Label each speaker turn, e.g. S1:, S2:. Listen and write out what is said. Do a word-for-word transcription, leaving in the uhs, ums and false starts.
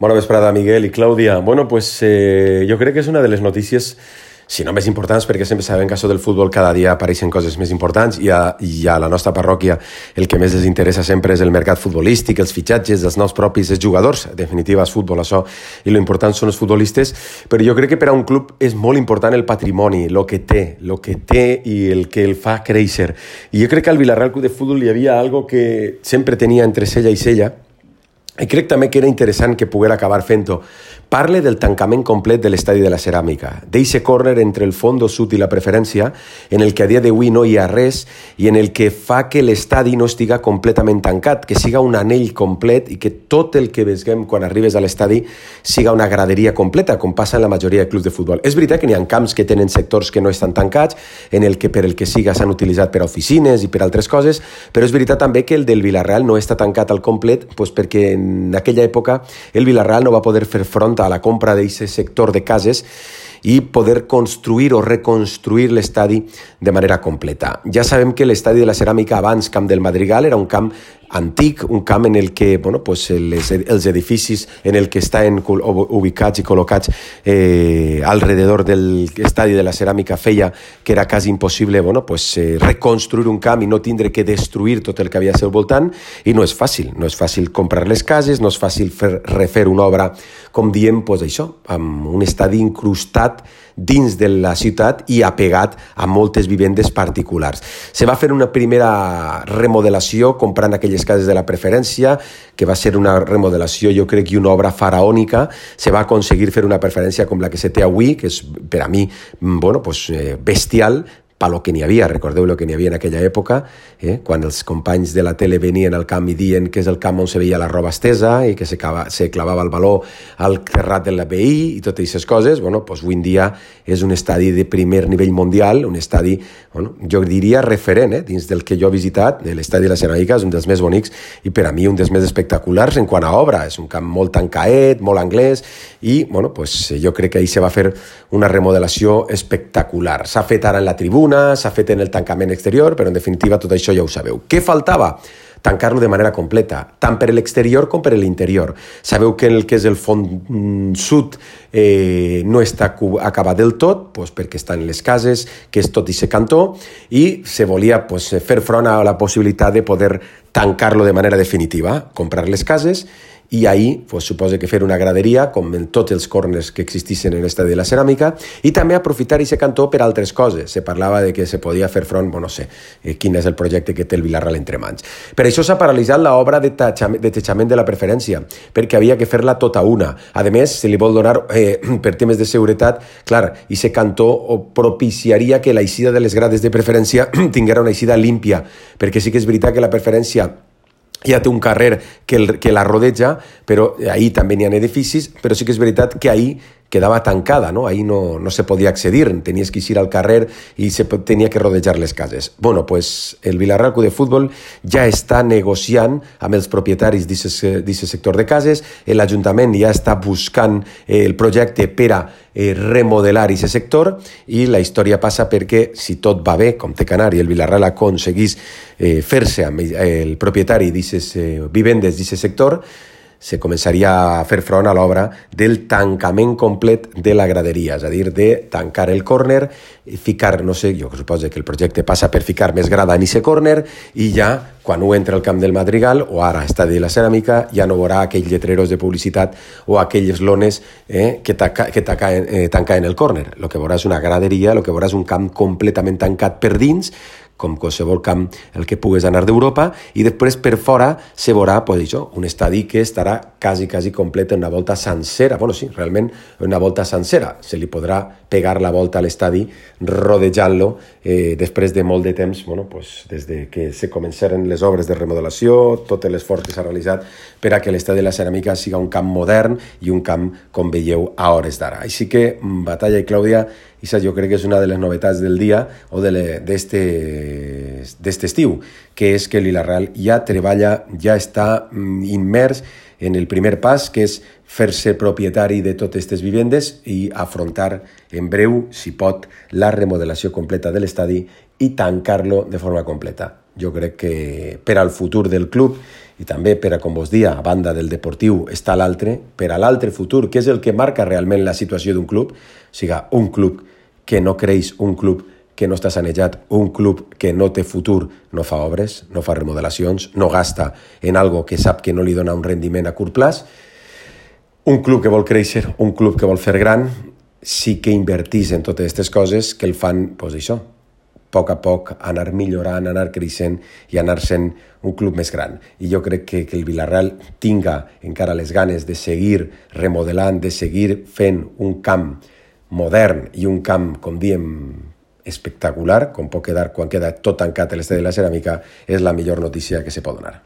S1: Bona vesprada, Miguel i Clàudia. Bueno, pues eh, jo crec que és una de les notícies, si no més importants, perquè sempre sabem que això del futbol cada dia apareixen coses més importants i a, i a la nostra parròquia el que més les interessa sempre és el mercat futbolístic, els fitxatges dels nous propis jugadors. En definitiva, és futbol, això, i lo important són els futbolistes, però jo crec que per a un club és molt important el patrimoni, el que té, el que té i el que el fa créixer. I jo crec que al Villarreal Club de Futbol hi havia algo que sempre tenia entre cella i cella, i crec també que era interessant que poguera acabar fent-ho. Parle del tancament complet de l'estadi de la Ceràmica, d'eixe córner entre el fondo sud i la preferència, en el que a dia d'avui no hi ha res i en el que fa que l'estadi no estiga completament tancat, que siga un anell complet i que tot el que veiem quan arribes a l'estadi siga una graderia completa, com passa en la majoria de clubs de futbol. És veritat que n'hi ha camps que tenen sectors que no estan tancats, en el que per el que siga s'han utilitzat per a oficines i per altres coses, però és veritat també que el del Villarreal no està tancat al complet, doncs perquè en aquella època el Villarreal no va poder fer front a la compra d'aquest sector de cases i poder construir o reconstruir l'estadi de manera completa. Ja sabem que l'estadi de la Ceràmica, abans Camp del Madrigal, era un camp antic, un camp en el que bueno, pues les, els edificis en el que estan ubicats i col·locats eh, alrededor de l'estadi de la Ceràmica feia que era quasi impossible bueno, pues, eh, reconstruir un camp i no tindre que destruir tot el que havia al seu voltant, i no és fàcil, no és fàcil comprar les cases, no és fàcil fer, refer una obra, com diem, pues, això, amb un estadi incrustat dins de la ciutat i apegat a moltes vivendes particulars. Se va fer una primera remodelació comprant aquelles cases de la preferència, que va ser una remodelació, jo crec, i una obra faraònica. Se va aconseguir fer una preferència com la que se té avui, que és per a mi bueno, pues, eh, bestial, per lo que n'hi havia, recordeu el que n'hi havia en aquella època, eh? Quan els companys de la tele venien al camp i dient que és el camp on se veia la roba estesa i que se, cava, se clavava el baló al terrat de la B I i totes aquestes coses, bueno, pues avui en dia és un estadi de primer nivell mundial, un estadi, bueno, jo diria referent, eh? Dins del que jo he visitat, l'estadi de la Ceràmica és un dels més bonics i per a mi un dels més espectaculars en quant a obra, és un camp molt tancaet, molt anglès i, bueno, pues jo crec que ahir se va fer una remodelació espectacular. S'ha fet ara en la tribuna, s'ha fet en el tancament exterior, però en definitiva tot això ja ho sabeu. Què faltava? Tancar-lo de manera completa, tant per l'exterior com per l'interior. Sabeu que el que és el fons sud eh, no està acabat del tot, doncs perquè estan les cases, que és tot i ser cantó, i se volia doncs, fer front a la possibilitat de poder tancar-lo de manera definitiva, comprar les cases, i ahir pues, suposa que fer una graderia com en tots els corners que existissin en l'estadi de la Ceràmica i també aprofitar aquest cantó per altres coses. Se parlava de que se podia fer front, bueno, no sé, eh, quin és el projecte que té el Villarreal entre mans. Per això s'ha paralitzat l'obra de, de teixament de la preferència, perquè havia que fer-la tota una. A més, se li vol donar, eh, per temes de seguretat, clar, i aquest cantó propiciaria que l'eixida de les grades de preferència tinguera una eixida límpia, perquè sí que és veritat que la preferència ja té un carrer que, el, que la rodeja, però ahir també n'hi ha edificis, però sí que és veritat que ahir quedava tancada, no? Ahir no, no se podia accedir, tenies que eixir al carrer i se tenia que rodejar les cases. Bueno, pues el Villarreal Club de Futbol ja està negociant amb els propietaris d'aquest sector de cases, l'Ajuntament ja està buscant el projecte per a eh, remodelar aquest sector i la història passa perquè, si tot va bé, com té que anar, i el Villarreal aconseguís eh, fer-se amb el propietari d'aquestes eh, vivendes d'aquest sector, se començaria a fer front a l'obra del tancament complet de la graderia, és a dir, de tancar el córner, ficar, no sé, jo suposo que el projecte passa per ficar més grada en aquest córner i ja, quan ho entra al Camp del Madrigal, o ara estadi de la Ceràmica, ja no veurà aquells lletreros de publicitat o aquelles lones eh, que, taca, que taca, eh, tancaven el córner. El que veurà és una graderia, el que veurà és un camp completament tancat per dins, com qualsevol camp el que pugues anar d'Europa, i després per fora se veurà pues, això, un estadi que estarà quasi, quasi complet en una volta sencera. Bueno, sí, realment una volta sencera. Se li podrà pegar la volta a l'estadi rodejant-lo eh, després de molt de temps, bueno, pues, des de que se començaren les obres de remodelació, tot l'esforç que s'ha realitzat per a que l'estadi de la Ceràmica siga un camp modern i un camp, com veieu, a hores d'ara. Així que, Batalla i Clàudia, i jo crec que és una de les novetats del dia o d'aquest estiu, que és que el Villarreal ja treballa, ja està immers en el primer pas, que és fer-se propietari de totes aquestes vivendes i afrontar en breu, si pot, la remodelació completa de l'estadi i tancar-lo de forma completa. Jo crec que per al futur del club i també per a, com vos dia, a banda del deportiu està l'altre, per a l'altre futur, que és el que marca realment la situació d'un club, o sigui, un club que no creix, un club que no està sanejat, un club que no té futur, no fa obres, no fa remodelacions, no gasta en algo que sap que no li dona un rendiment a curt plaç. Un club que vol créixer, un club que vol fer gran, sí que invertís en totes aquestes coses que el fan, doncs això, a poc a poc anar millorant, anar creixent i anar sent un club més gran. I jo crec que, que el Villarreal tinga encara les ganes de seguir remodelant, de seguir fent un camp modern i un camp, com diem, espectacular, com pot quedar quan queda tot tancat a l'Estadi de la Ceràmica, és la millor notícia que se pot donar.